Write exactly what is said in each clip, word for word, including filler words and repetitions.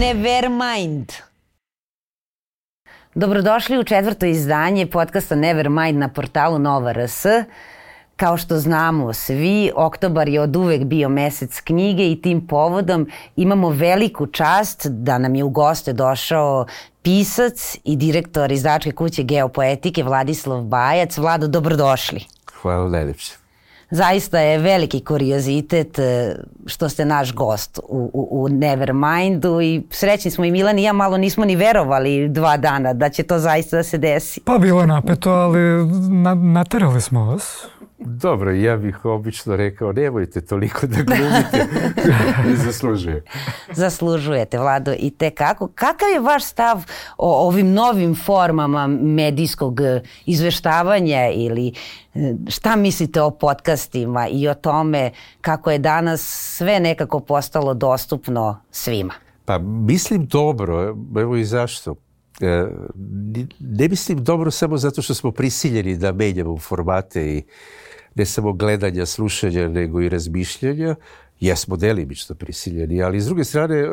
Nevermind. Dobrodošli u četvrto izdanje podcasta Nevermind na portalu Nova R S. Kao što znamo svi, oktobar je od uvek bio mesec knjige i tim povodom imamo veliku čast da nam je u goste došao pisac i direktor izdavačke kuće Geopoetike Vladislav Bajac. Vlado, dobrodošli. Hvala najlepše. Zaista je veliki kuriozitet što ste naš gost u, u, u Nevermindu i srećni smo i Milan i ja, malo nismo ni verovali dva dana da će to zaista da se desi. Pa bilo napeto, ali na, naterali smo vas. Dobro, ja bih obično rekao nemojte toliko da glumite. Zaslužuje. Zaslužujete, Vlado, i te kako. Kakav je vaš stav o ovim novim formama medijskog izveštavanja ili šta mislite o podcastima i o tome kako je danas sve nekako postalo dostupno svima? Pa mislim dobro, evo i zašto. Ne mislim dobro samo zato što smo prisiljeni da menjamo formate i ne samo gledanja, slušanja, nego i razmišljanja. Jesmo delimično prisiljeni, ali s druge strane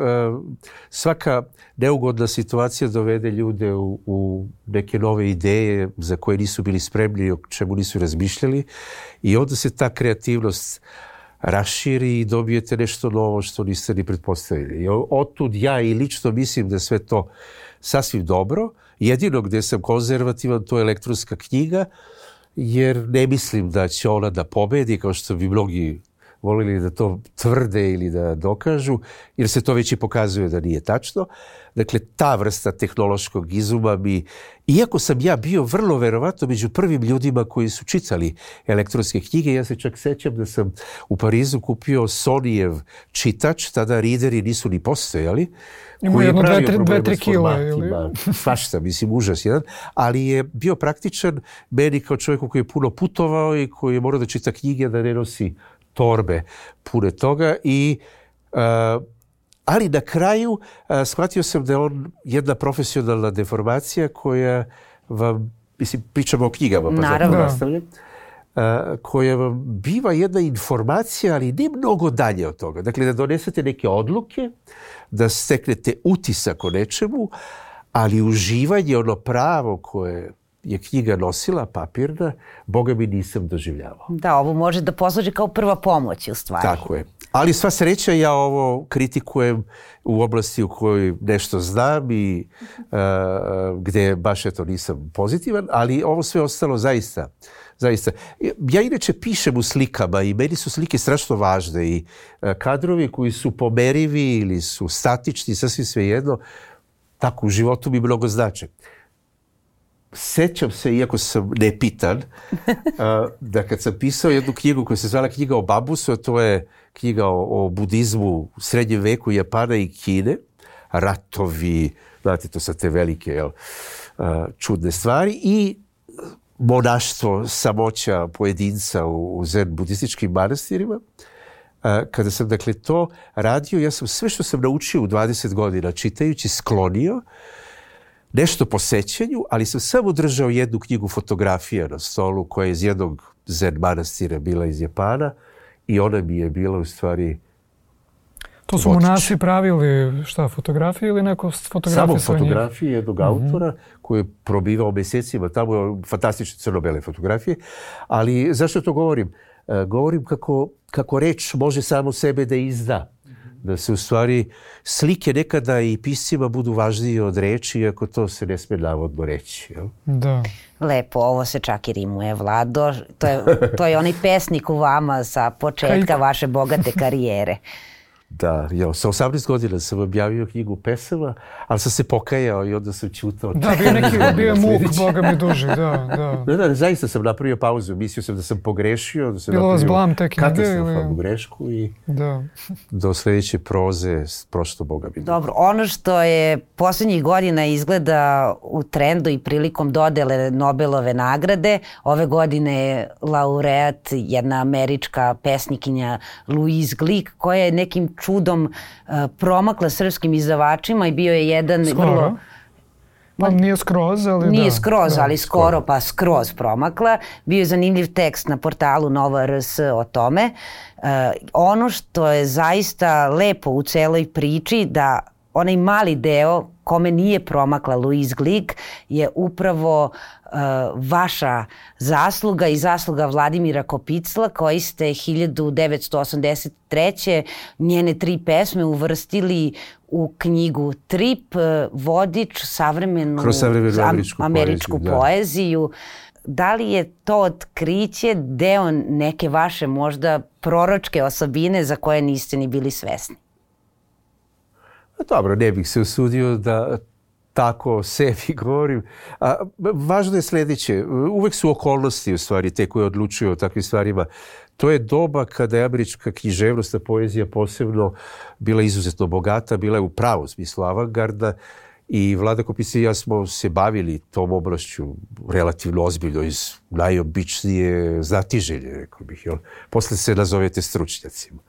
svaka neugodna situacija dovede ljude u, u neke nove ideje za koje nisu bili spremni, o čemu nisu razmišljali i onda se ta kreativnost raširi i dobijete nešto novo što niste ni pretpostavili. I otud ja i lično mislim da sve to sasvim dobro. Jedino gdje sam konzervativan to je elektronska knjiga, jer ne mislim da će ona da pobedi, kao što bi mnogi volili da to tvrde ili da dokažu, jer se to već i pokazuje da nije tačno. Dakle, ta vrsta tehnološkog izuma bi, iako sam ja bio vrlo verovatno među prvim ljudima koji su čitali elektronske knjige, ja se čak sećam da sam u Parizu kupio Sonyjev čitač, tada rideri nisu ni postojali, ima jedno dve tri kila ili svašta, mislim, užas jedan, ali je bio praktičan meni kao čovjeku koji je puno putovao i koji je morao da čita knjige, da ne nosi torbe pune toga i uh, ali na kraju uh, shvatio sam da je on jedna profesionalna deformacija koja vam, mislim, pričamo o knjigama, pa zato nastavljam, uh, koja vam biva jedna informacija, ali ne mnogo dalje od toga. Dakle, da donesete neke odluke, da steknete utisak o nečemu, ali uživanje, ono pravo koje je knjiga nosila, papirna, Boga mi nisam doživljavao. Da, ovo može da posluži kao prva pomoć u stvari. Tako je. Ali sva sreća, ja ovo kritikujem u oblasti u kojoj nešto znam i uh, gdje baš eto nisam pozitivan, ali ovo sve ostalo zaista, zaista. Ja inače pišem u slikama i meni su slike strašno važne i uh, kadrovi koji su pomerivi ili su statični, sasvim svejedno, tako u životu mi mnogo znače. Sećam se, iako sam nepitan, da kad sam pisao jednu knjigu koja se zvala Knjiga o Babusu, a to je knjiga o, o budizmu u srednjem veku Japana i Kine, ratovi, znate, to su te velike jel, čudne stvari, i monaštvo, samoća pojedinca u, u zen budističkim manastirima. Kada sam dakle to radio, ja sam sve što sam naučio u dvadeset godina čitajući sklonio nešto po sećanju, ali sam samo držao jednu knjigu fotografija na stolu koja je iz jednog zen manastira bila iz Japana i ona mi je bila u stvari to su monasi pravili šta, fotografije ili neko fotografije? Samo fotografije jednog mm-hmm. autora koji je probivao mjesecima, tamo je fantastične crno-bele fotografije, ali zašto to govorim? Uh, govorim kako, kako reč može samo sebe da izda. Da se u stvari slike nekada i piscima budu važnije od reči, iako to se ne smije navodno reći. Jel? Da. Lepo, ovo se čak i rimuje, Vlado. To je, to je onaj pesnik u vama sa početka vaše bogate karijere. Da, jo, sa osamnaest godina sam objavio knjigu pesama, ali sam se pokajao i onda sam čutao. Da, bio neki, bio je muk, Boga mi duži, da, da. Da, da, zaista sam napravio pauzu, mislio sam da sam pogrešio, da sam bilo napravio katastrofalnu ili... grešku i da. Do sljedeće proze prošlo Boga mi duži. Dobro, ono što je posljednjih godina izgleda u trendu i prilikom dodele Nobelove nagrade, ove godine je laureat jedna američka pesnikinja Louise Glück, koja je nekim čudom uh, promakla srpskim izdavačima i bio je jedan skoro. vrlo... Pa nije skroz, ali Nije da. skroz, da. ali skoro pa skroz promakla. Bio je zanimljiv tekst na portalu Nova R S o tome. Uh, ono što je zaista lepo u celoj priči da onaj mali deo kome nije promakla Louise Glück je upravo uh, vaša zasluga i zasluga Vladimira Kopicla, koji ste hiljadu devetsto osamdeset treće njene tri pesme uvrstili u knjigu Trip, vodič savremenu, Kroz savremenu američku, američku poeziju. poeziju. Da li je to otkriće deo neke vaše možda proročke osobine za koje niste ni bili svesni? Dobro, ne bih se usudio da tako sebi govorim. A, važno je sljedeće. Uvek su okolnosti u stvari te koje odlučuju o takvim stvarima. To je doba kada je američka književnost, poezija posebno bila izuzetno bogata, bila je u pravom smislu avangarda i Vlada Kopic i ja smo se bavili tom oblašću relativno ozbiljno iz najobičnije znatiželje, rekao bih. Jel? Posle se nazovete stručnjacima.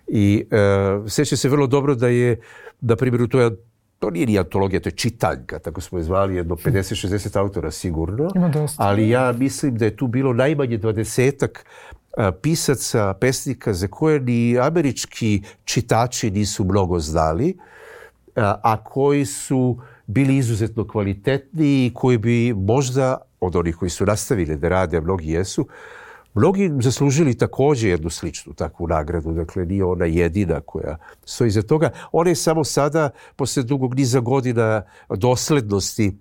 I e, sjećam se vrlo dobro da je, na primjer, to, je, to nije ni antologija, to je čitanjka, tako smo je zvali, jedno pedeset šezdeset autora sigurno, ali ja mislim da je tu bilo najmanje dvadesetak a, pisaca, pesnika za koje ni američki čitači nisu mnogo znali, a, a koji su bili izuzetno kvalitetni i koji bi možda, od onih koji su nastavili da rade, a mnogi jesu, mnogi zaslužili također jednu sličnu takvu nagradu, dakle nije ona jedina koja stoji iza toga. Ona je samo sada, posle dugog niza godina doslednosti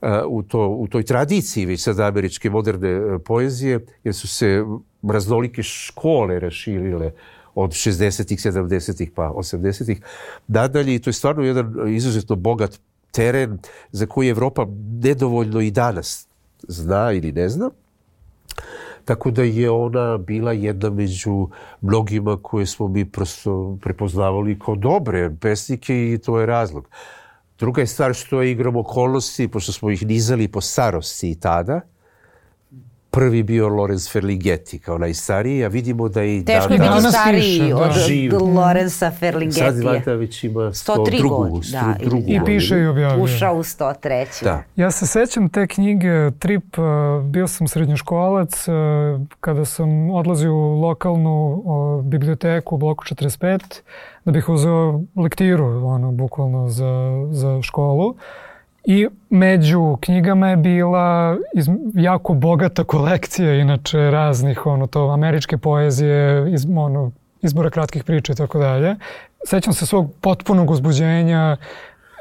uh, u, to, u toj tradiciji već sada američke moderne poezije, jer su se raznolike škole raširile od šezdesetih, sedamdesetih pa osamdesetih nadalje i to je stvarno jedan izuzetno bogat teren za koji Evropa nedovoljno i danas zna ili ne zna. Tako da je ona bila jedna među mnogima koje smo mi prosto prepoznavali kao dobre pesnike i to je razlog. Druga je stvar što je igrom okolnosti, pošto smo ih nizali po starosti i tada. Prvi bio Lorenz Ferlinghetti kao najstariji, a vidimo da je i teško je biti stariji od, od Lorenza Ferlinghettija. Sad Vata već ima sto tri godinu. Da, i piše i objavio. Ušao u sto treću. Da. Ja se sećam te knjige Trip, bio sam srednjoškolac, kada sam odlazio u lokalnu o, biblioteku u bloku četrdeset pet, da bih uzeo lektiru, ono, bukvalno za, za školu. I među knjigama je bila iz, jako bogata kolekcija, inače raznih, ono, to, američke poezije, iz, ono, izbora kratkih priča i tako dalje. Sećam se svog potpunog uzbuđenja,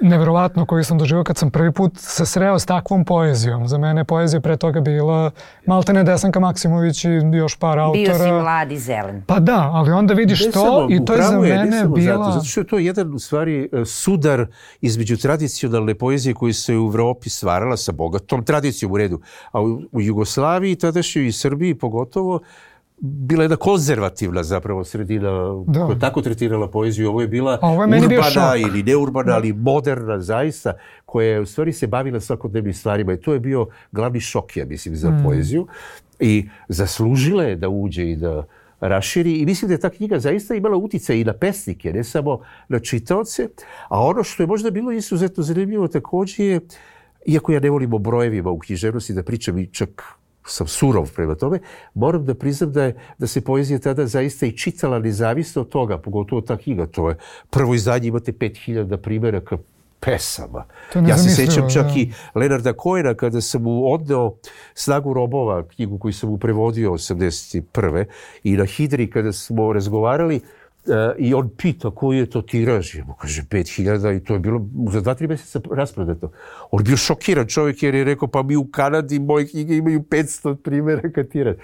neverovatno koji sam doživio kad sam prvi put se sreo s takvom poezijom. Za mene poezija pre toga bila maltene Desanka Maksimović i još par autora. Bio si mlad i zelen. Pa da, ali onda vidiš to i to je za je, mene bila... Zato, zato što je to jedan u stvari sudar između tradicionalne poezije koju se u Evropi stvarala sa bogatom tradicijom u redu, a u, u Jugoslaviji, tadašnjoj i Srbiji pogotovo, bila jedna konzervativna zapravo sredina koja je tako tretirala poeziju. Ovo je bila ovo je urbana ili neurbana, ali moderna zaista, koja je u stvari se bavila svakodnevnim stvarima. I to je bio glavni šok, ja mislim, za mm. poeziju. I zaslužila je da uđe i da raširi. I mislim da je ta knjiga zaista imala utjecaj i na pesnike, ne samo na čitaoce. A ono što je možda bilo izuzetno zanimljivo također je, iako ja ne volim o brojevima u književnosti da pričam i čak sam surov prema tome, moram da priznam da, je, da se poezija tada zaista i čitala nezavisno od toga, pogotovo ta knjiga. To je prvo izdanje, imate pet hiljada primjeraka pesama. Ja se sećam čak da. i Leonarda Cohena kada sam mu odneo Snagu robova, knjigu koju sam mu prevodio osamdeset prve i na Hidri kada smo razgovarali, Uh, i on pita koji je to tiraž. Ja mu kaže pet hiljada i to je bilo za dva, tri mjeseca rasprodato. On je bio šokiran čovjek jer je rekao pa mi u Kanadi moje knjige imaju petsto primjeraka tiraž.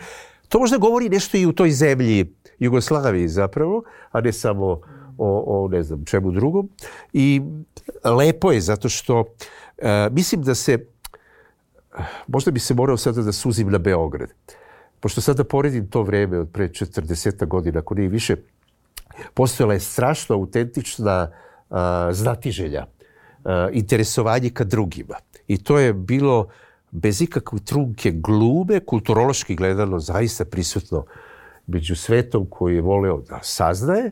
To možda govori nešto i u toj zemlji Jugoslaviji zapravo, a ne samo o, o ne znam čemu drugom. I lepo je zato što uh, mislim da se možda bi se morao sada da suzim na Beograd. Pošto sada poredim to vreme od pre četrdeset godina, ako nije više, postojala je strašno autentična uh, znatiželja, uh, interesovanje ka drugima. I to je bilo bez ikakve trunke glume, kulturološki gledano zaista prisutno među svetom koji je voleo da saznaje.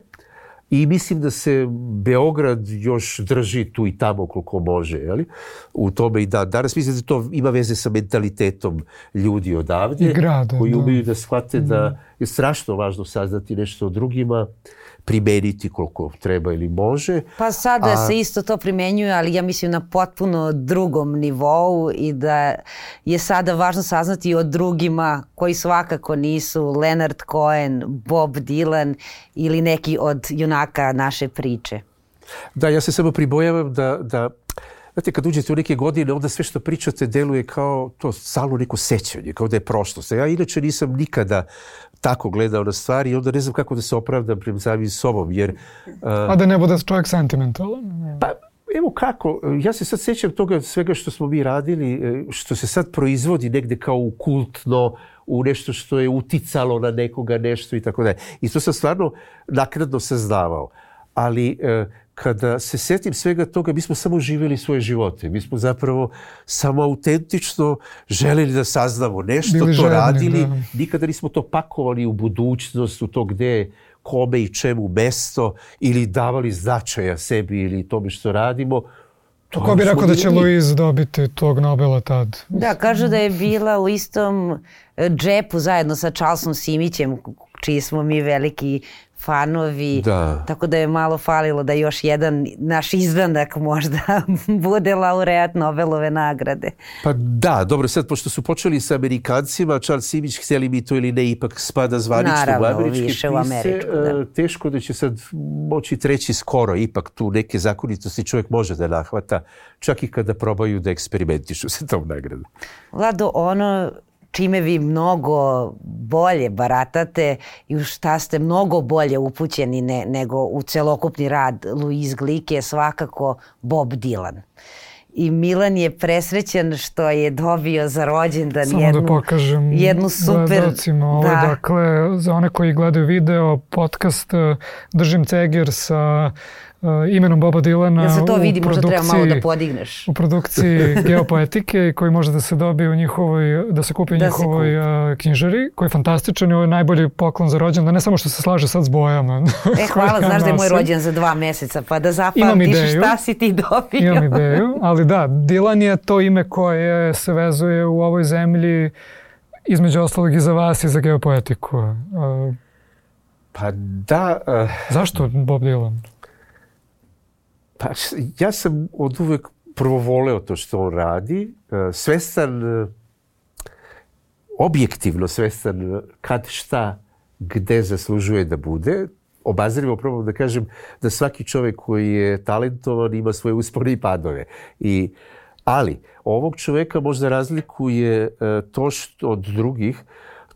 I mislim da se Beograd još drži tu i tamo koliko može. Jeli? U tome i da. Danas mislim da to ima veze sa mentalitetom ljudi odavdje grada, koji da. umeju da shvate da je strašno važno saznati nešto o drugima, primeniti koliko treba ili može. Pa sada a... se isto to primenjuje, ali ja mislim na potpuno drugom nivou i da je sada važno saznati o drugima koji svakako nisu Leonard Cohen, Bob Dylan ili neki od junaka naše priče. Da, ja se samo pribojavam da, da znate, kad uđete u neke godine, onda sve što pričate deluje kao to stalno neko sećanje, kao da je prošlost. Ja inače nisam nikada tako gledao na stvari i onda ne znam kako da se opravdam prema samim sobom, jer... Uh, A da ne bude čovjek sentimentalan? Pa, evo kako, ja se sad sećam toga svega što smo mi radili, što se sad proizvodi negde kao u kultno, u nešto što je uticalo na nekoga nešto i tako dalje. I to sam stvarno naknadno saznavao. Ali kada se setim svega toga, mi smo samo živjeli svoje živote. Mi smo zapravo samo autentično želeli da saznamo nešto, Bili to žedni, radili. Da. Nikada nismo to pakovali u budućnost, u to gde, kome i čemu mesto, ili davali značaja sebi ili tome što radimo. To Ko bi rekao da će Louise dobiti tog Nobela tad? Da, kažu da je bila u istom džepu zajedno sa Charlesom Simićem, čiji smo mi veliki fanovi, da. Tako da je malo falilo da još jedan naš izdanak možda bude laureat Nobelove nagrade. Pa da, dobro, sad pošto su počeli sa Amerikancima, Charles Simić, htjeli mi to ili ne, ipak spada zvanično Naravno, u američke više pise, u američku, da. Teško da će sad moći treći skoro, ipak tu neke zakonitosti čovjek može da nahvata, čak i kada probaju da eksperimentišu sa tom nagradom. Vlado, ono čime vi mnogo bolje baratate i u šta ste mnogo bolje upućeni ne, nego u celokupni rad Louise Glück je svakako Bob Dylan. I Milan je presrećan što je dobio za rođendan Samo jednu, da pokažem jednu super... gledalcima ovo, da. Dakle, za one koji gledaju video, podcast Držim ceger sa uh, imenom Boba Dylana. Ja se to vidi, možda treba malo da produkciji- podigneš. U produkciji Geopoetike koji može da se dobije u njihovoj, da se kupi u Da se njihovoj uh, knjižari, koji je fantastičan i ovo je najbolji poklon za rođendan, ne samo što se slaže sad s bojama. E, hvala, koje ja znaš da je moj nosim. rođen za dva meseca, pa da Imam zapamtiš ideju. šta si ti dobio. Imam ideju, ali da, Dylan je to ime koje se vezuje u ovoj zemlji između ostalog i za vas i za Geopoetiku. Uh, Pa da... Uh, zašto Bob Dylan? Pa ja sam od uvek prvo voleo to što on radi, svestan, objektivno svestan kad, šta, gde zaslužuje da bude. Obazrivo probam da kažem da svaki čovjek koji je talentovan ima svoje uspone i padove. I, ali ovog čovjeka možda razlikuje to što od drugih,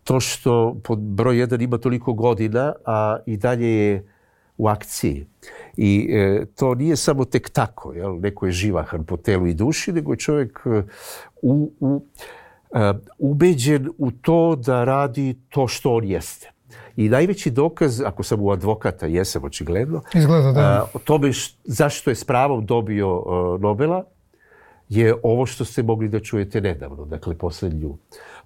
to što pod broj jedan ima toliko godina, a i dalje je u akciji. I e, to nije samo tek tako, jel? Neko je živahan po telu i duši, nego je čovjek u, u, a, ubeđen u to da radi to što on jeste. I najveći dokaz, ako sam u advokata, jesam očigledno, Izgleda, da. a, o tome š, zašto je s pravom dobio a, Nobela, je ovo što ste mogli da čujete nedavno, dakle posljednju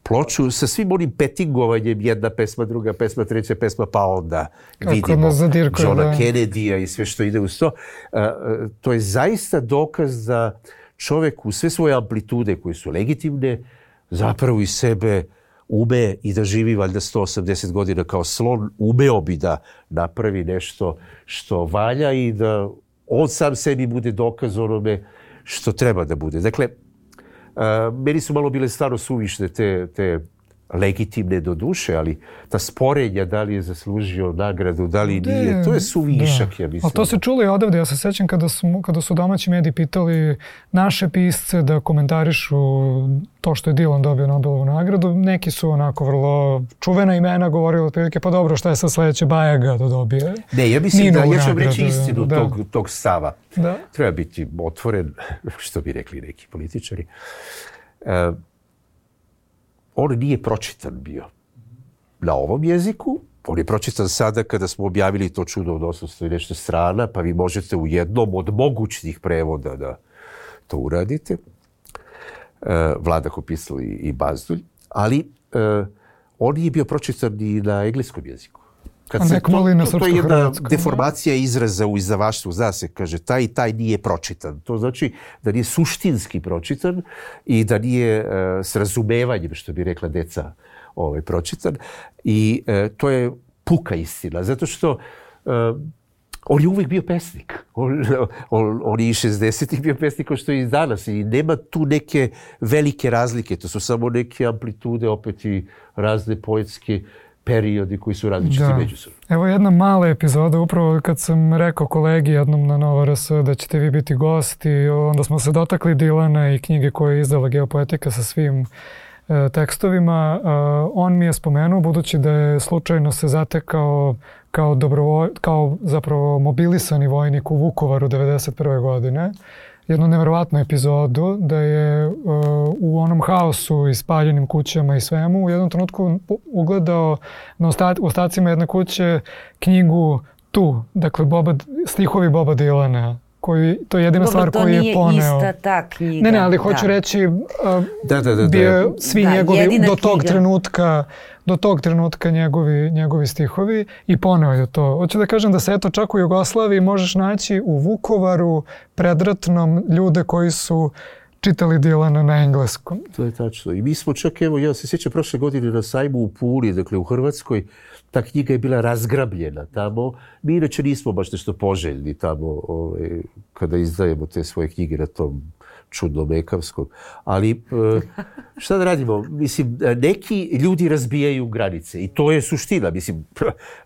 ploču sa svim onim petingovanjem, jedna pesma, druga pesma, treća pesma, pa onda Kako vidimo Johna da. Kennedya i sve što ide uz to. A, to je zaista dokaz da čovjek u sve svoje amplitude koje su legitimne zapravo iz sebe ume i da živi valjda sto osamdeset godina kao slon, umeo bi da napravi nešto što valja i da on sam sebi bude dokaz onome što treba da bude. Dakle, Uh, meni su malo bile stvarno suvišne te, te legitimne do duše, ali ta sporenja da li je zaslužio nagradu, da li nije, to je suvišak, da. Ja mislim. Ali to se čulo i odavde. Ja se sećam kada su, kada su domaći mediji pitali naše pisce da komentarišu to što je Dylan dobio Nobelovu nagradu. Neki su onako vrlo čuvena imena govorili otprilike, pa dobro, šta je sad sledeće, Bajaga da dobije? Ne, ja mislim Ninovu da, ja ću vam nagradu, reći istinu da. tog, tog stava. Da. Treba biti otvoren, što bi rekli neki političari. Uh, on nije pročitan bio na ovom jeziku. On je pročitan sada kada smo objavili to čudo od osamsto i nešto strana, pa vi možete u jednom od mogućnih prevoda da to uradite. Uh, Vlada Kopisl i, i Bazdulj. Ali uh, on nije bio pročitan ni na engleskom jeziku. Kad A se nek to, moli na to, to je jedna srpsko-hrvatskom, deformacija izraza u izdavaštvu. Zna se, kaže, taj i taj nije pročitan. To znači da nije suštinski pročitan i da nije uh, s razumevanjem, što bi rekla deca ovaj, pročitan. I e, to je puka istina, zato što e, on je uvijek bio pesnik. On, on, on je i šezdesetih bio pesnik kao što je i danas. I nema tu neke velike razlike. To su samo neke amplitude, opet i razne poetske periodi koji su različiti međusobno. Evo jedna mala epizoda, upravo kad sam rekao kolegi jednom na Nova R S da ćete vi biti gosti, onda smo se dotakli Dilana i knjige koje je izdala Geopoetika sa svim e, tekstovima. E, on mi je spomenuo, budući da je slučajno se zatekao kao, dobrovo, kao zapravo mobilisani vojnik u Vukovaru devedeset prve godine, jednu nevjerovatnu epizodu da je uh, u onom haosu i spaljenim kućama i svemu u jednom trenutku ugledao na osta- ostacima jedne kuće knjigu Tu, dakle Boba, stihovi Boba Dilana. Koji, to je jedina Dobro, stvar koju je poneo. To nije ista ta knjiga. Ne, ne, ali hoću da. reći uh, da, da, da, bio da. svi da, njegovi do tog knjiga. trenutka do tog trenutka njegovi, njegovi stihovi i poneo je to. Hoću da kažem da se eto čak u Jugoslaviji možeš naći u Vukovaru predratnom ljude koji su čitali Dilana na engleskom. To je tačno. I mi smo čak, evo, ja se sjećam prošle godine na sajmu u Puli, dakle u Hrvatskoj, ta knjiga je bila razgrabljena tamo. Mi inače nismo baš nešto poželjni tamo ovaj, kada izdajemo te svoje knjige na tom čudnom ekavskom. Ali šta da radimo? Mislim, neki ljudi razbijaju granice i to je suština. Mislim,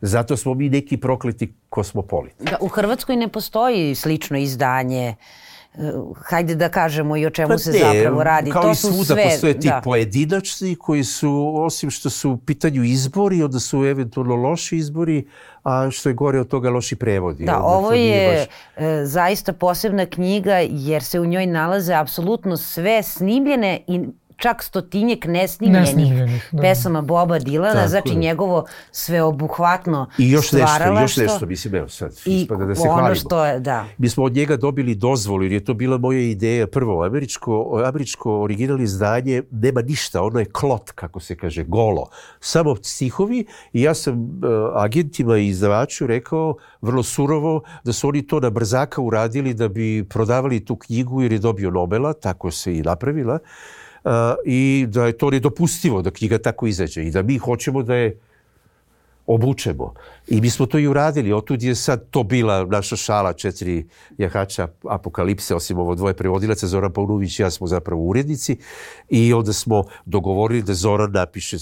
zato smo mi neki prokleti kosmopoliti. Da, u Hrvatskoj ne postoji slično izdanje. Hajde da kažemo i o čemu pa se ne, zapravo radi. Kao to i su svuda sve, postoje ti da. pojedinačni koji su, osim što su u pitanju izbori, onda su eventualno loši izbori, a što je gore od toga loši prevodi. Da, onda ovo je baš... e, zaista posebna knjiga jer se u njoj nalaze apsolutno sve snimljene i čak stotinjek nesnimljenih, nesnimljenih pesama Boba Dilana, tako znači je. njegovo sveobuhvatno I još nešto, stvaralaštvo. još nešto, mislim, evo sad, I ispada da se ono hvalimo. što je, da. Mi smo od njega dobili dozvolu, jer je to bila moja ideja. Prvo, američko, američko originalno izdanje nema ništa, ono je klot, kako se kaže, golo. Samo stihovi i ja sam uh, agentima i izdavaču rekao vrlo surovo da su oni to na brzaka uradili da bi prodavali tu knjigu jer je dobio Nobela, tako se i napravila. Uh, i da je to nedopustivo da knjiga tako izađe i da mi hoćemo da je obučemo. I mi smo to i uradili. Otud je sad to bila naša šala, četiri jahača apokalipse, osim ovo dvoje prevodilaca, Zoran Paunović i ja smo zapravo urednici. I onda smo dogovorili da Zoran napiše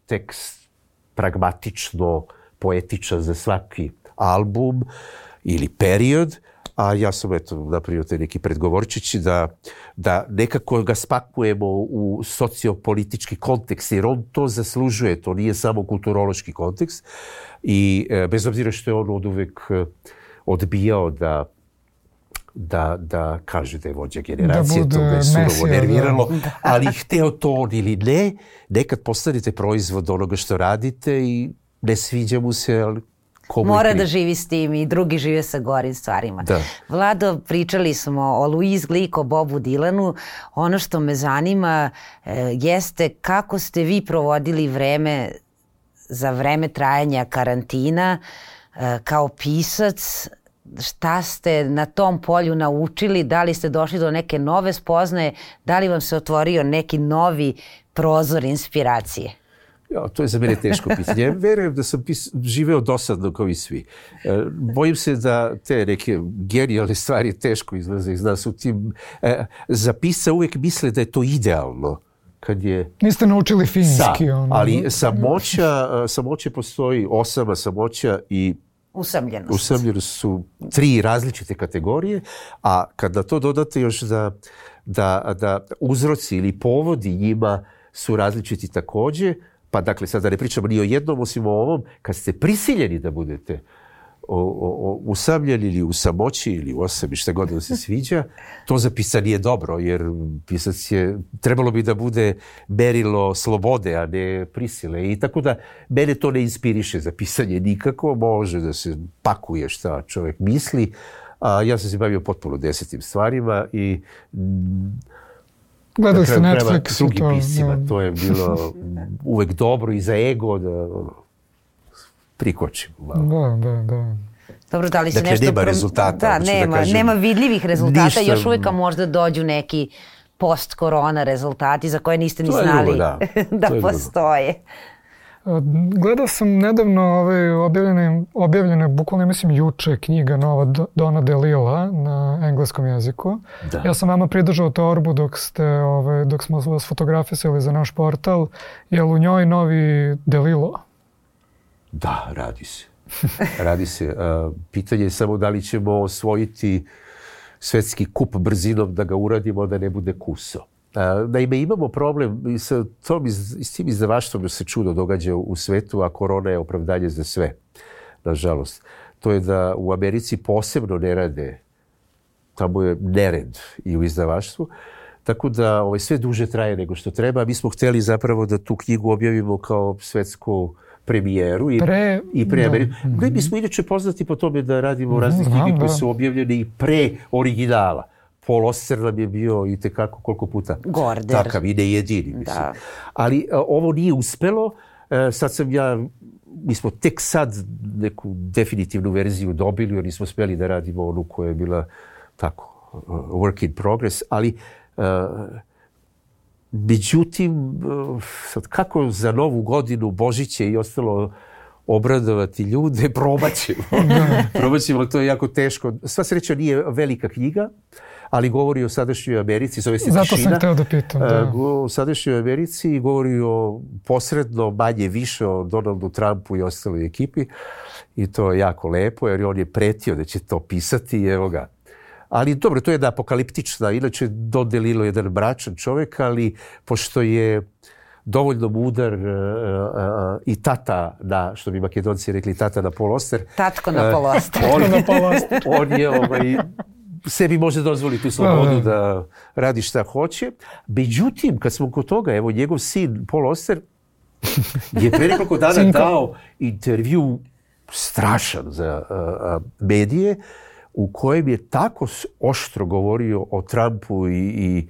tekst pragmatično, poetičan za svaki album ili period, a ja sam eto napravio te neki predgovorčići da, da nekako ga spakujemo u sociopolitički kontekst, jer on to zaslužuje, to nije samo kulturološki kontekst i e, bez obzira što je on od uvek odbijao da da, da kaže da je vođa generacije, da to ga je surovo nerviralo, da. Ali hteo to on ili ne, nekad postanete proizvod onoga što radite i ne sviđa mu se, ali mora da živi s tim i drugi žive sa gorim stvarima. Da. Vlado, pričali smo o Louise Glück, o Bobu Dilanu. Ono što me zanima e, jeste kako ste vi provodili vreme za vreme trajanja karantina e, kao pisac. Šta ste na tom polju naučili? Da li ste došli do neke nove spoznaje? Da li vam se otvorio neki novi prozor inspiracije? Ja, to je za mene teško pitanje. Ja verujem da sam pis, živeo dosadno kao i svi. E, bojim se da te neke genijalne stvari teško izlaze iz nas u tim. E, za pisca uvijek misle da je to idealno. Kad je... Niste naučili finski. Sa, ono. Ali samoća, samoće postoji osama samoća i usamljenost. Usamljenost su tri različite kategorije, a kada to dodate još da, da, da uzroci ili povodi njima su različiti također, pa dakle sad da ne pričamo ni o jednom osim o ovom, kad ste prisiljeni da budete o, o, o, usamljeni ili u samoći ili u osami, šta god da se sviđa, to za pisca nije dobro, jer pisac je, trebalo bi da bude merilo slobode, a ne prisile. I tako da mene to ne inspiriše za pisanje nikako, može da se pakuje šta čovjek misli, a ja sam se bavio potpuno desetim stvarima i gledali ste Netflix s drugim piscima, to je bilo uvek dobro i za ego da prikočim. Da, da, da. Dobro, da li se dakle, nešto... nema rezultata. Da, nema, da kažem, nema vidljivih rezultata, ništa... još uvijek možda dođu neki post-korona rezultati za koje niste ni To je znali drugo, da. da To je drugo. postoje. Gledao sam nedavno ovaj, objavljene, objavljene, bukvalno mislim juče, knjiga nova Do- Dona DeLilla na engleskom jeziku. Da. Ja sam vama pridržao torbu dok, ste, ovaj, dok smo vas fotografisali za naš portal. Je li u njoj novi DeLillo? Da, radi se. Radi se. Uh, pitanje je samo da li ćemo osvojiti svetski kup brzinom da ga uradimo da ne bude kuso. Uh, naime, imamo problem i sa tom iz, i s tim izdavaštvom se čudo događa u svetu, a korona je opravdanje za sve, nažalost. To je da u Americi posebno ne rade, tamo je nered i u izdavaštvu, tako da ovaj, sve duže traje nego što treba. Mi smo hteli zapravo da tu knjigu objavimo kao svetsku premijeru i pre, i pre Ameriku. Da. Mi smo inače poznati po tome da radimo razne Znam, knjige koje da. su objavljene i pre originala. Paul Auster nam je bio i tekako koliko puta Gorder. takav i ne jedini. Mislim. Da. Ali a, ovo nije uspelo. E, sad sam ja, mi smo tek sad neku definitivnu verziju dobili, jer nismo smeli da radimo onu koja je bila tako, uh, work in progress, ali uh, međutim, uh, sad kako za Novu godinu, Božiće i ostalo obradovati ljude, probat ćemo. probat ćemo, to je jako teško. Sva sreća nije velika knjiga, ali govori o sadašnjoj Americi, zove se Zato Tišina. sam hteo da pitam. Da. O sadašnjoj Americi i govori o posredno, manje više o Donaldu Trumpu i ostaloj ekipi. I to je jako lepo, jer on je pretio da će to pisati i evo ga. Ali dobro, to je jedna apokaliptična, inače Don DeLillo je jedan mračan čovjek, ali pošto je dovoljno mudar uh, uh, i tata na, što bi Makedonci rekli, tata na Paul Auster. Tatko na Paul Auster. Uh, on, on je ovaj, sebi može dozvoliti tu slobodu da radi šta hoće. Međutim, kad smo kod toga, evo njegov sin Paul Auster je pre nekoliko dana dao intervju strašan za uh, medije u kojem je tako oštro govorio o Trumpu i, i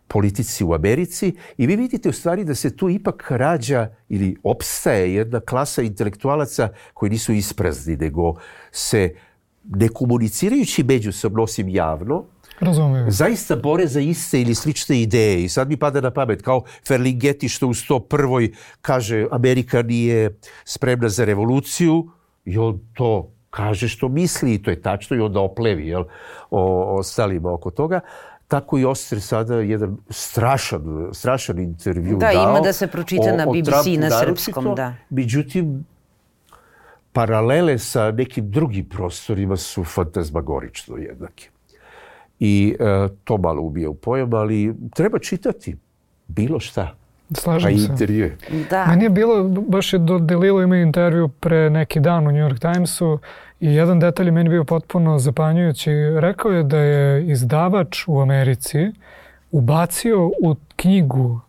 politici u Americi i vi vidite u stvari da se tu ipak rađa ili opstaje jedna klasa intelektualaca koji nisu isprazni, nego se ne komunicirajući međusobno osim javno, Razumijem. zaista bore za iste ili slične ideje. I sad mi pada na pamet kao Ferlinghetti što u sto prvoj kaže Amerika nije spremna za revoluciju i on to kaže što misli i to je tačno i onda oplevi jel, o ostalima oko toga. Tako i Auster sada jedan strašan, strašan intervju da, dao. Da, ima da se pročita o, na B B C na srpskom, da. Međutim, paralele sa nekim drugim prostorima su fantazmagorično jednake. I e, to malo ubija u pojam, ali treba čitati bilo šta. Slažem a se. intervjue. Da. Meni je bilo, baš je do DeLillo imao intervju pre neki dan u New York Timesu i jedan detalj je meni bio potpuno zapanjujući. Rekao je da je izdavač u Americi ubacio u knjigu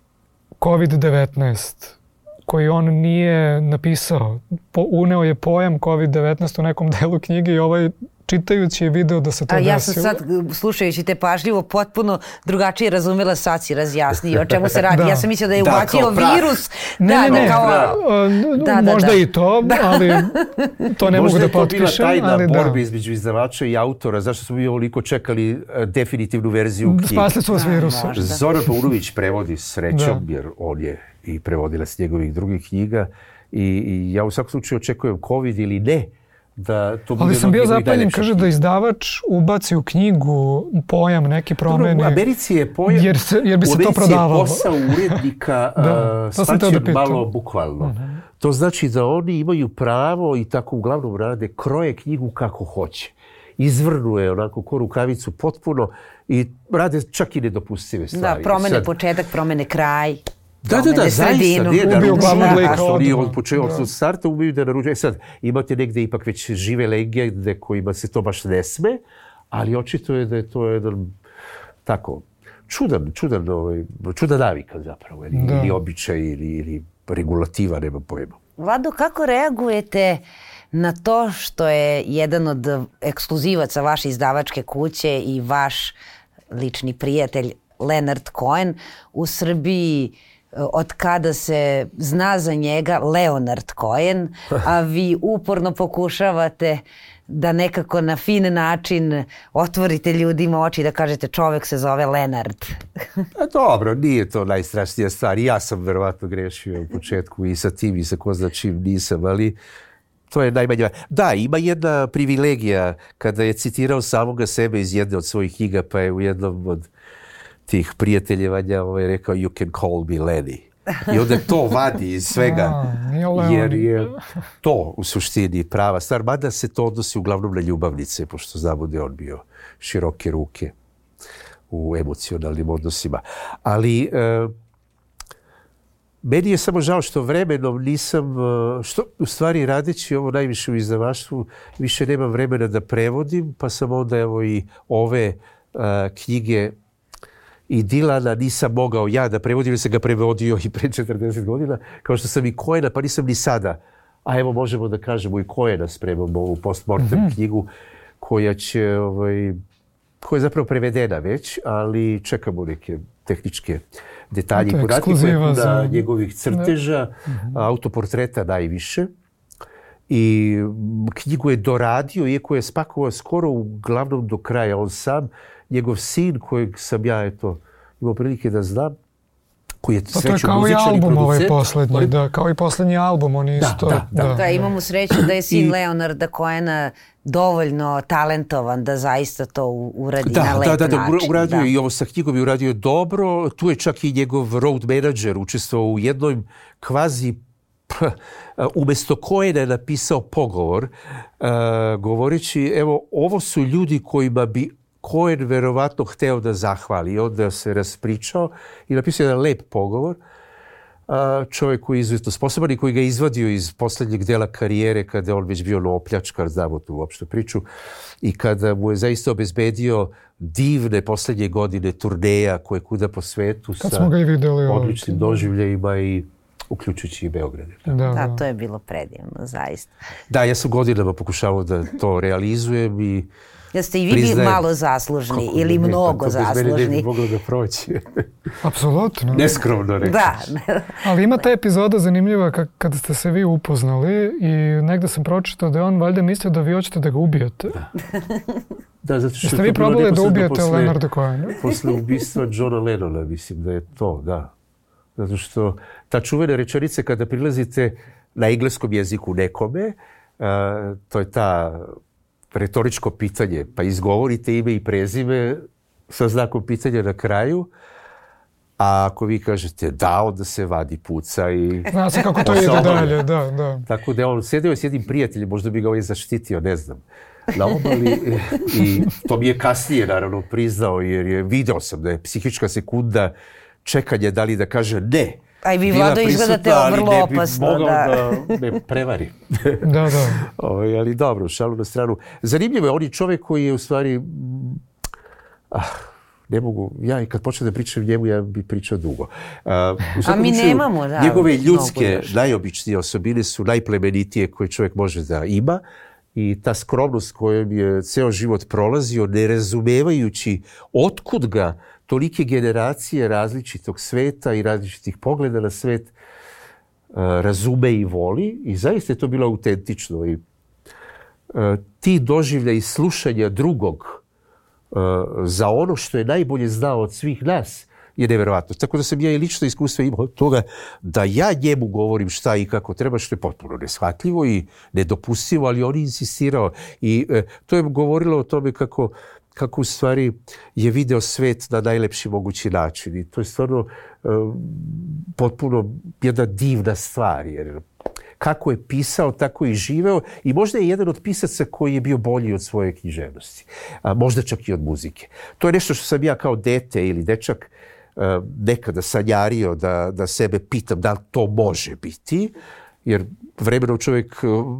kovid devetnaest koji on nije napisao. Po, uneo je pojam kovid devetnaest u nekom delu knjige i ovaj čitajući je video da se to A desilo. ja sam sad, slušajući te pažljivo, potpuno drugačije razumela, sad si razjasnio o čemu se radi. Da. Ja sam mislila da je Da, ubacio kao prah. virus. Ne, da, ne, da, ne. kao... Da, Da, da, možda da. i to, ali to ne mogu da potpišem. Možda je to bila tajna ali borba da. između izdavača i autora. Zašto smo mi ovoliko čekali uh, definitivnu verziju knjige? Spasli su vas Da, virusa. možda. Zoran Paunović prevodi srećom, Da. jer on je i prevodilac njegovih drugih knjiga. I, i ja u svakom slučaju očekujem COVID ili ne, da to bude... Ali sam bio zapanjen, najlepša kaže knjiga. da izdavač ubaci u knjigu pojam neki promeni. Dobro, u Americi je pojam... Jer, se, jer bi se to prodavalo. U Americi je posao urednika Da, uh, to sam teo da shvaćen pitam. malo bukvalno. Mhm. To znači da oni imaju pravo i tako uglavnom rade, kroje knjigu kako hoće. Izvrnuje onako ko rukavicu potpuno i rade čak i nedopustive Da, stvari. promene Sad- početak, promene kraj. Da, da, da, promene zaista, sredinu. nije da Ubiju glavnog naručuju, lika što nije odmah. od početka, Da. od starta ubiju da naručuju. E sad, imate negde ipak već žive legende kojima se to baš ne sme, ali očito je da je to jedan tako čudan, čudan, ovaj, čuda navika zapravo, ili, Da. ili običaj, ili, ili regulativa, nema pojma. Vlado, kako reagujete na to što je jedan od ekskluzivaca vaše izdavačke kuće i vaš lični prijatelj Leonard Cohen u Srbiji od kada se zna za njega Leonard Cohen, a vi uporno pokušavate da nekako na fin način otvorite ljudima oči i da kažete čovek se zove Lenard. A dobro, nije to najstrašnija stvar. Ja sam verovatno grešio u početku i sa tim i sa ko zna čim nisam, ali to je najmanje. Da, ima jedna privilegija kada je citirao samoga sebe iz jedne od svojih knjiga, pa je u jednom od tih prijateljevanja ovaj, rekao you can call me Lenny. I onda to vadi iz svega, jer je to u suštini prava stvar. Mada se to odnosi uglavnom na ljubavnice, pošto znamo da je on bio široke ruke u emocionalnim odnosima. Ali e, meni je samo žao što vremenom nisam, što u stvari radeći ovo najviše u izdavaštvu, više nemam vremena da prevodim, pa sam onda evo i ove a, knjige i Dilana nisam mogao ja da prevodim, jer sam ga prevodio i pre četrdeset godina, kao što sam i Cohena, pa nisam ni sada. A evo možemo da kažemo i Cohena spremamo ovu postmortem mm-hmm. knjigu koja će, ovaj, koja je zapravo prevedena već, ali čekamo neke tehničke detalje i podatke na za... njegovih crteža, mm-hmm. autoportreta najviše. I knjigu je doradio, iako je spakovao skoro uglavnom do kraja on sam. Njegov sin, kojeg sam ja eto, imao prilike da znam, koji je sreću muzičar i producent. To je kao i album ovaj poslednji, da, kao i poslednji album, on isto. Da, da, da. da imamo sreću da je sin I, Leonarda Cohena dovoljno talentovan da zaista to uradi da, na lep da, da, da, način. Uradio da. I ovo sa knjigom je uradio dobro. Tu je čak i njegov road manager učestvovao u jednoj kvazi umjesto Cohena je napisao pogovor uh, govoreći, evo, ovo su ljudi kojima bi Cohen verovatno hteo da zahvali. I onda se raspričao i napisao jedan lep pogovor. Uh, čovjek koji je izuzetno sposoban i koji ga izvadio iz posljednjeg dela karijere kada je on već bio opljačkar, znamo tu uopšte priču, i kada mu je zaista obezbedio divne posljednje godine turneja koje kuda po svetu kad sa videli, odličnim doživljajima i uključujući i Beograde. Da, da, da, to je bilo predivno, zaista. Da, ja sam godinama pokušavao da to realizujem i jeste i vi priznajem, malo zaslužni kako, ili ne, mnogo pa zaslužni. Bez mene ne bi moglo da proći. Apsolutno. Neskromno reći. Da. Ali ima ta epizoda zanimljiva kada ste se vi upoznali i negde sam pročitao da je on valjda mislio da vi hoćete da ga ubijete. Da. Da, zato što jeste vi probali da ubijete posle, Leonarda Cohena? Posle ubistva Johna Lennona, mislim da je to, da. Zato što ta čuvena rečenica kada prilazite na engleskom jeziku nekome, a, to je ta retoričko pitanje, pa izgovorite ime i prezime sa znakom pitanja na kraju, a ako vi kažete da, onda se vadi puca i... Zna se kako to ide dalje, da, da. Tako da on sedeo s jednim prijateljem, možda bi ga ovaj zaštitio, ne znam, na obali i to mi je kasnije naravno priznao jer je video sam da je psihička sekunda čekanje da li da kaže ne. A i vi, Vlado, izgledate vrlo opasno. Ali ne bi mogao da, da me prevari. Da, da. O, ali dobro, šalu na stranu. Zanimljivo je, on je čovjek koji je u stvari... Ah, ne mogu, ja i kad počnem da pričam njemu, ja bi pričao dugo. A, A mi učinu, nemamo, da. Njegove ljudske, najobičnije osobine su najplemenitije koje čovjek može da ima. I ta skromnost kojom je ceo život prolazio, ne razumevajući otkud ga tolike generacije različitog sveta i različitih pogleda na svet uh, razume i voli. I zaista je to bilo autentično. I, uh, ti doživlja i slušanja drugog uh, za ono što je najbolje znao od svih nas je neverovatno. Tako da sam ja i lično iskustvo imao toga da ja njemu govorim šta i kako treba, što je potpuno neshvatljivo i nedopustivo, ali on je insistirao. I uh, to je govorilo o tome kako kako u stvari je video svet na najlepši mogući način. I to je stvarno uh, potpuno jedna divna stvar. Jer kako je pisao, tako i živeo. I možda je jedan od pisaca koji je bio bolji od svoje književnosti. A možda čak i od muzike. To je nešto što sam ja kao dete ili dečak uh, nekada sanjario da, da sebe pitam da li to može biti. Jer vremenom čovjek... Uh,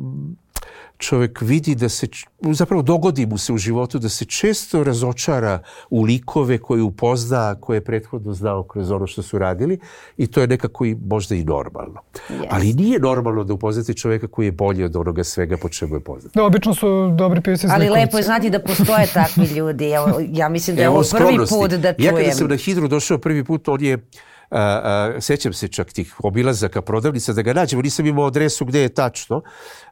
čovjek vidi da se, zapravo dogodi mu se u životu da se često razočara u likove koje upozna, koje je prethodno znao kroz ono što su radili i to je nekako i možda i normalno. Yes. Ali nije normalno da upoznate čovjeka koji je bolji od onoga svega po čemu je poznat. Da, obično su dobri pisci zlikovci. Ali lepo je znati da postoje takvi ljudi. Evo, ja mislim da je ovo prvi put da čujem. Ja kada sam na Hidru došao prvi put, on je A, a, sjećam se čak tih obilazaka prodavnica da ga nađemo, nisam imao adresu gdje je tačno.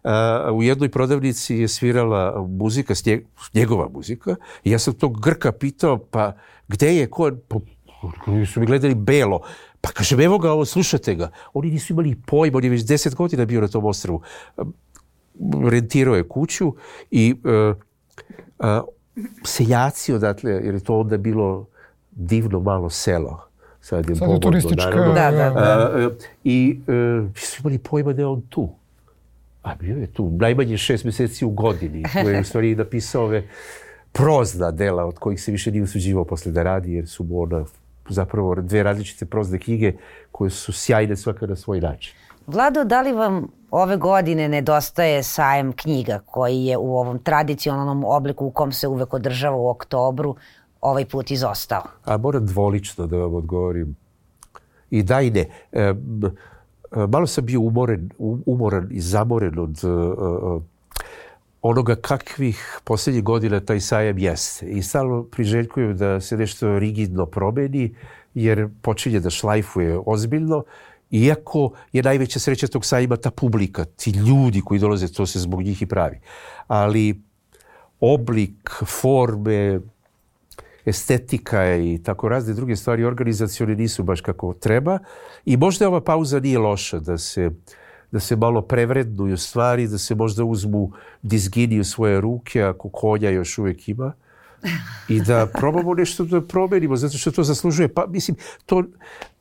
A, u jednoj prodavnici je svirala muzika, snje, njegova muzika, i ja sam tog Grka pitao, pa gdje je, ko, pa, su mi gledali belo, pa kažem, evo ga, ovo, slušate ga. Oni nisu imali pojma, on je već deset godina bio na tom ostrvu. Rentirao je kuću i uh, uh, seljaci odatle, jer je to onda bilo divno malo selo. Sad je, Sad je turistička... Da, da, da. Uh, I uh, su imali pojma da je on tu. A bio je tu najmanje šest mjeseci u godini. Koji je u stvari napisao ove prozna dela od kojih se više nije usuđivao posle da radi, jer su mu ona zapravo dve različite prozne knjige koje su sjajne svaka na svoj način. Vlado, da li vam ove godine nedostaje sajam knjiga koji je u ovom tradicionalnom obliku u kom se uvek održava u oktobru ovaj put izostao? A moram dvolično da vam odgovorim. I da i ne. E, malo sam bio umoren, umoran i zamoren od uh, onoga kakvih posljednjih godina taj sajam jeste. I stalno priželjkujem da se nešto rigidno promeni, jer počinje da šlajfuje ozbiljno. Iako je najveća sreća tog sajma ta publika, ti ljudi koji dolaze, to se zbog njih i pravi. Ali oblik, forme, estetika i tako razne druge stvari organizacione nisu baš kako treba. I možda ova pauza nije loša, da se, da se malo prevrednuju stvari, da se možda uzmu dizgini u svoje ruke, ako konja još uvijek ima. I da probamo nešto da promenimo, zato što to zaslužuje. Pa, mislim, to,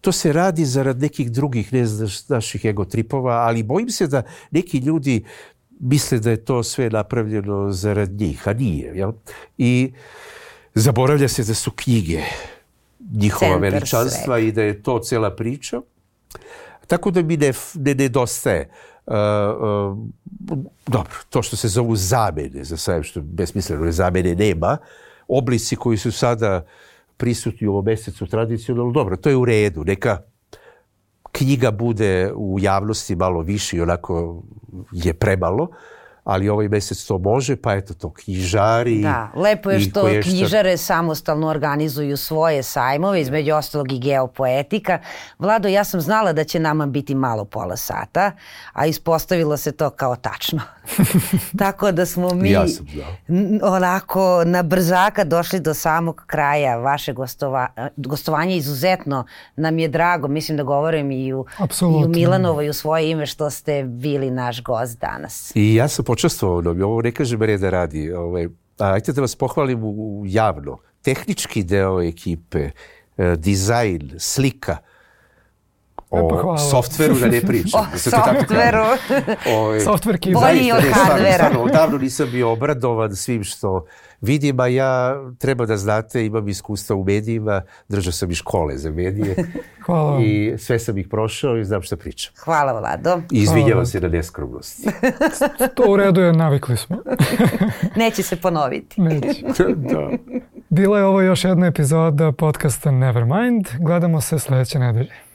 to se radi zarad nekih drugih, ne znaš, naših egotripova, ali bojim se da neki ljudi misle da je to sve napravljeno zarad njih, a nije. Jel? I zaboravlja se da su knjige njihova Centar veličanstva sve. I da je to cela priča. Tako da mi ne, ne nedostaje. Uh, uh, dobro, to što se zovu zamene, za sajam, što besmisleno zamene nema, oblici koji su sada prisutni u ovom mjesecu tradicionalno, dobro, to je u redu, neka knjiga bude u javnosti malo više i onako je premalo, ali ovaj mjesec to može, pa eto to knjižari. Da, lepo je što knjižare samostalno organizuju svoje sajmove, između ostalog i Geopoetika. Vlado, ja sam znala da će nama biti malo pola sata, a ispostavilo se to kao tačno. Tako da smo mi ja sam onako na brzaka došli do samog kraja vaše gostova, gostovanja. Izuzetno nam je drago, mislim da govorim i u, i u Milanovo i u svoje ime što ste bili naš gost danas. I ja sam počestvovao, ovo ne kažem reda radi. Ovaj, ajte da vas pohvalim u, javno. Tehnički deo ekipe, eh, dizajn, slika, o softveru da ne pričam. O softveru. Softverki. Bolji od hardvera. Odavno nisam bio obradovan svim što vidim, a ja, treba da znate, imam iskustva u medijima, držao sam i škole za medije. Hvala. I sve sam ih prošao i znam što pričam. Hvala, Vlado. I izvinjavam se na neskromnosti. To u redu je, navikli smo. Neće se ponoviti. Neće. Da. Bila je ovo još jedna epizoda podcasta Nevermind. Gledamo se sljedeće nedelje.